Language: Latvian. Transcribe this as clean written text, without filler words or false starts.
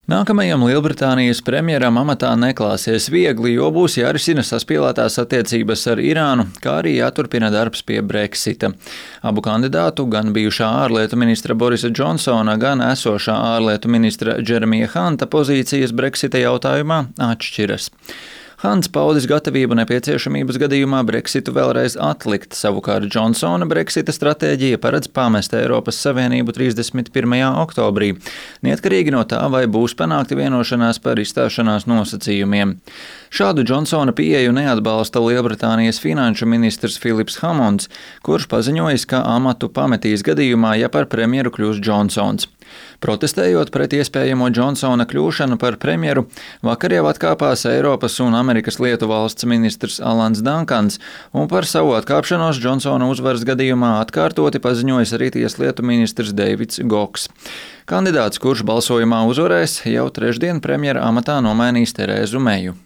Nākamajam Lielbritānijas premjeram amatā neklāsies viegli, jo būs jārisina saspīlētās attiecības ar Irānu, kā arī jāturpina darbs pie Brexita. Abu kandidātu, gan bijušā ārlietu ministra Borisa Džonsona, gan esošā ārlietu ministra Džeremija Hanta pozīcijas Brexita jautājumā atšķiras. Hants paudis gatavību nepieciešamības gadījumā Brexitu vēlreiz atlikt, savukārt Džonsona Brexita stratēģija paredz pamest Eiropas Savienību 31. oktobrī, neatkarīgi no tā, vai būs panākta vienošanās par izstāšanās nosacījumiem. Šādu Džonsona pieeju neatbalsta Lielbritānijas finanšu ministrs Filips Hamonds, kurš paziņojis, ka amatu pametīs gadījumā, ja par premjeru kļūs Džonsons. Protestējot pret iespējamo Džonsona kļūšanu par premjeru, vakar jau atkāpās Eiropas un Amerikas lietu valsts ministrs Alans Dankans, un par savu atkāpšanos Džonsona uzvaras gadījumā atkārtoti paziņojis arī tieslietu ministrs Deivids Goks. Kandidāts, kurš balsojumā uzvarēs, jau trešdien premjera amatā nomainīs Terēzu Meju.